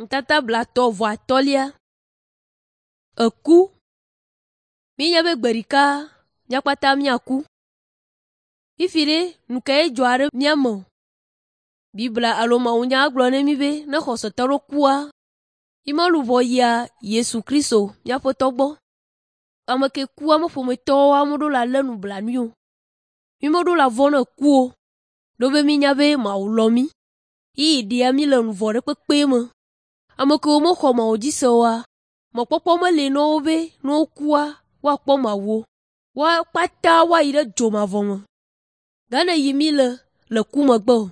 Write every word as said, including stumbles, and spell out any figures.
Nutata blaetɔ̃ vɔ atɔ̃lia. Eku. Míenya be gbe ɖeka mía kpata míaku. Fifi ɖe, nu kae dzɔa ɖe mía me o? Biblia alo mawunya gblɔ na mí be ne xɔsetɔ ɖe kua, yi me luʋɔ yia Yesu Kristo mía Aƒetɔ gbɔ. Ame ke kua me ƒometɔwo ameɖewo le alé nublanui o. Mí meɖo la vɔ̃ ne ku o, ɖo be mínya be Mawu lɔ̃ mí. Yi ɖea mí le nu vɔ̃ ɖe kpekpe me. Ame kewo mexɔ Mawu dzi se oa, mɔkpɔkpɔ meli na wo be ne wokua, woakpɔ Mawu o. Woa kpata woayi ɖe dzomavɔ me. Gane yi mí le le ku megbe o.